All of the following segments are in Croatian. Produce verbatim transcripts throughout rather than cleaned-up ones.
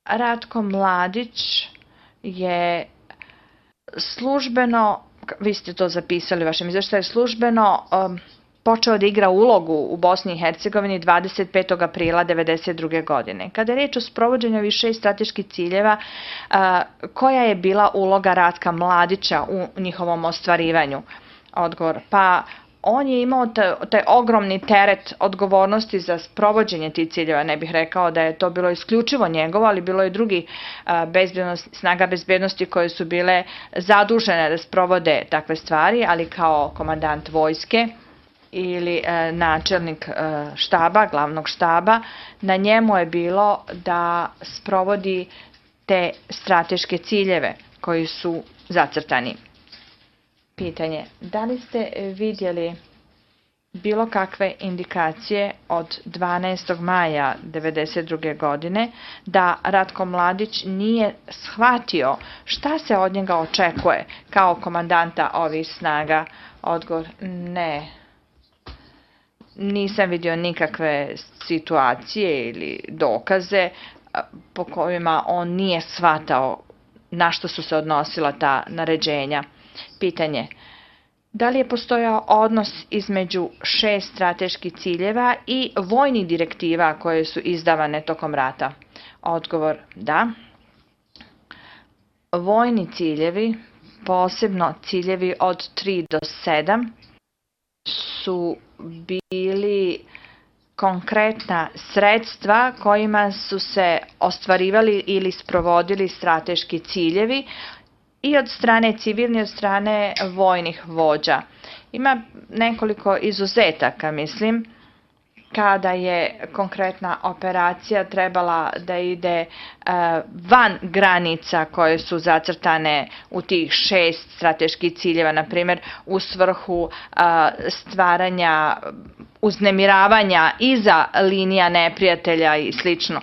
Ratko Mladić je službeno, vi ste to zapisali u vašem izveštaju, službeno um, počeo da igra ulogu u Bosni i Hercegovini dvadeset petog aprila devedeset druge. godine. Kada je reč o sprovođenju ovih šest strateških ciljeva, uh, koja je bila uloga Ratka Mladića u njihovom ostvarivanju? Odgovor, pa on je imao taj ogromni teret odgovornosti za sprovođenje tih ciljeva. Ne bih rekao da je to bilo isključivo njegovo, ali bilo je drugi bezbednost, snaga bezbednosti koje su bile zadužene da sprovode takve stvari, ali kao komandant vojske ili e, načelnik e, štaba, glavnog štaba, na njemu je bilo da sprovodi te strateške ciljeve koji su zacrtani. Pitanje, da li ste vidjeli bilo kakve indikacije od dvanaestog maja devedeset druge. godine da Ratko Mladić nije shvatio šta se od njega očekuje kao komandanta ovih snaga? Odgovor, ne. Nisam vidio nikakve situacije ili dokaze po kojima on nije shvatao na što su se odnosila ta naređenja. Pitanje, da li je postojao odnos između šest strateških ciljeva i vojnih direktiva koje su izdavane tokom rata? Odgovor, da. Vojni ciljevi, posebno ciljevi od tri do sedam, su bili konkretna sredstva kojima su se ostvarivali ili sprovodili strateški ciljevi i od strane civilnih i od strane vojnih vođa. Ima nekoliko izuzetaka, mislim, kada je konkretna operacija trebala da ide uh, van granica koje su zacrtane u tih šest strateških ciljeva, na primjer u svrhu uh, stvaranja uznemiravanja iza linija neprijatelja i slično.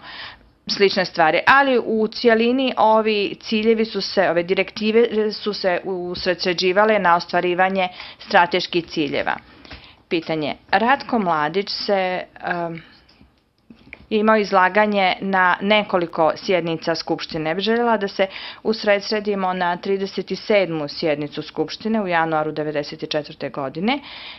slične stvari, ali u cijelini ovi ciljevi su se, ove direktive su se usredsređivale na ostvarivanje strateških ciljeva. Pitanje, Ratko Mladić se um, imao izlaganje na nekoliko sjednica Skupštine. Ne bih željela da se usredsredimo na trideset sedmu sjednicu Skupštine u januaru devedeset četvrte. godine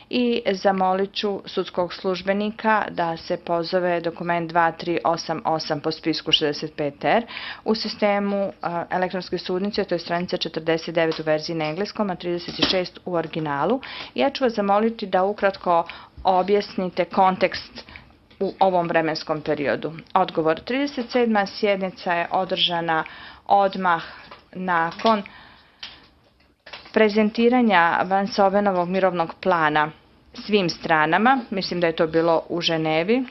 i zamolit ću sudskog službenika da se pozove dokument dva tri osam osam po spisku šezdeset pet R u sistemu uh, elektronske sudnice, to je stranica četrdeset devet u verziji na engleskom, a trideset šest u originalu. Ja ću vas zamoliti da ukratko objasnite kontekst u ovom vremenskom periodu. Odgovor, trideset sedma sjednica je održana odmah nakon prezentiranja Van Sovenovog mirovnog plana svim stranama, mislim da je to bilo u Ženevi,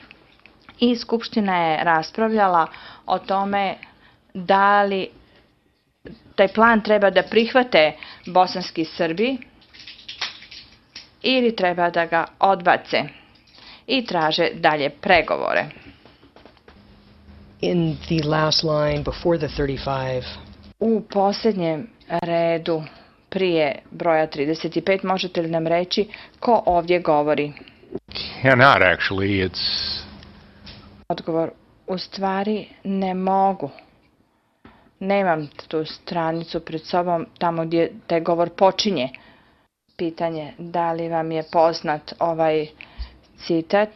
i Skupština je raspravljala o tome da li taj plan treba da prihvate bosanski Srbi ili treba da ga odbace i traže dalje pregovore. In the last line before the thirty-five. U posljednjem redu prije broja trideset pet možete li nam reći ko ovdje govori? Cannot actually, it's... Odgovor, u stvari ne mogu. Nemam tu stranicu pred sobom tamo gdje taj govor počinje. Pitanje, da li vam je poznat ovaj citat?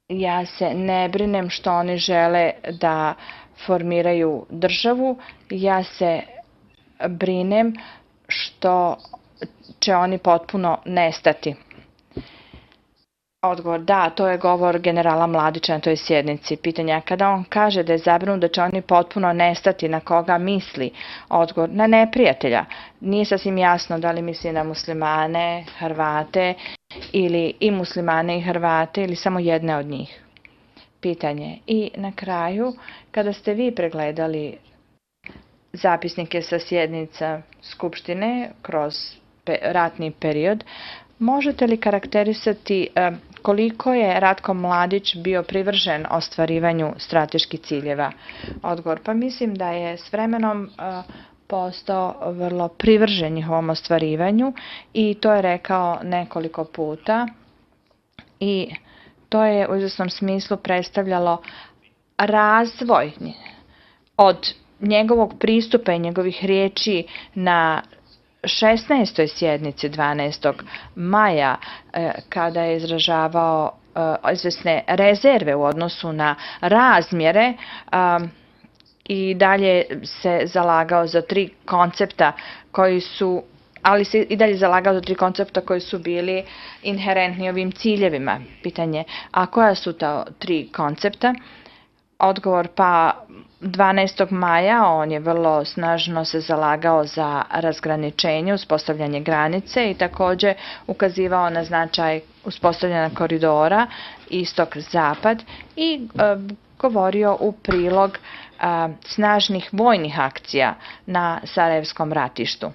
Ja se ne brinem što oni žele da formiraju državu, ja se brinem što će oni potpuno nestati. Odgovor, da, to je govor generala Mladića na toj sjednici. Pitanja, kada on kaže da je zabrinut da će oni potpuno nestati, na koga misli? Odgovor, na neprijatelja. Nije sasvim jasno da li misli na muslimane, Hrvate, ili i muslimane i Hrvate, ili samo jedne od njih. Pitanje, i na kraju, kada ste vi pregledali zapisnike sa sjednica Skupštine kroz ratni period, možete li karakterisati koliko je Ratko Mladić bio privržen ostvarivanju strateških ciljeva? Odgovor, pa mislim da je s vremenom postao vrlo privržen njihovom ostvarivanju i to je rekao nekoliko puta i to je u izvjesnom smislu predstavljalo razvoj od njegovog pristupa i njegovih riječi na šesnaestoj sjednici dvanaestog maja, kada je izražavao izvesne rezerve u odnosu na razmjere, i dalje se zalagao za tri koncepta koji su, ali se i dalje zalagao za tri koncepta koji su bili inherentni ovim ciljevima. Pitanje, a koja su ta tri koncepta? Odgovor, pa dvanaestog maja on je vrlo snažno se zalagao za razgraničenje, uspostavljanje granice i također ukazivao na značaj uspostavljanja koridora istok-zapad i e, govorio u prilog a, snažnih vojnih akcija na Sarajevskom ratištu.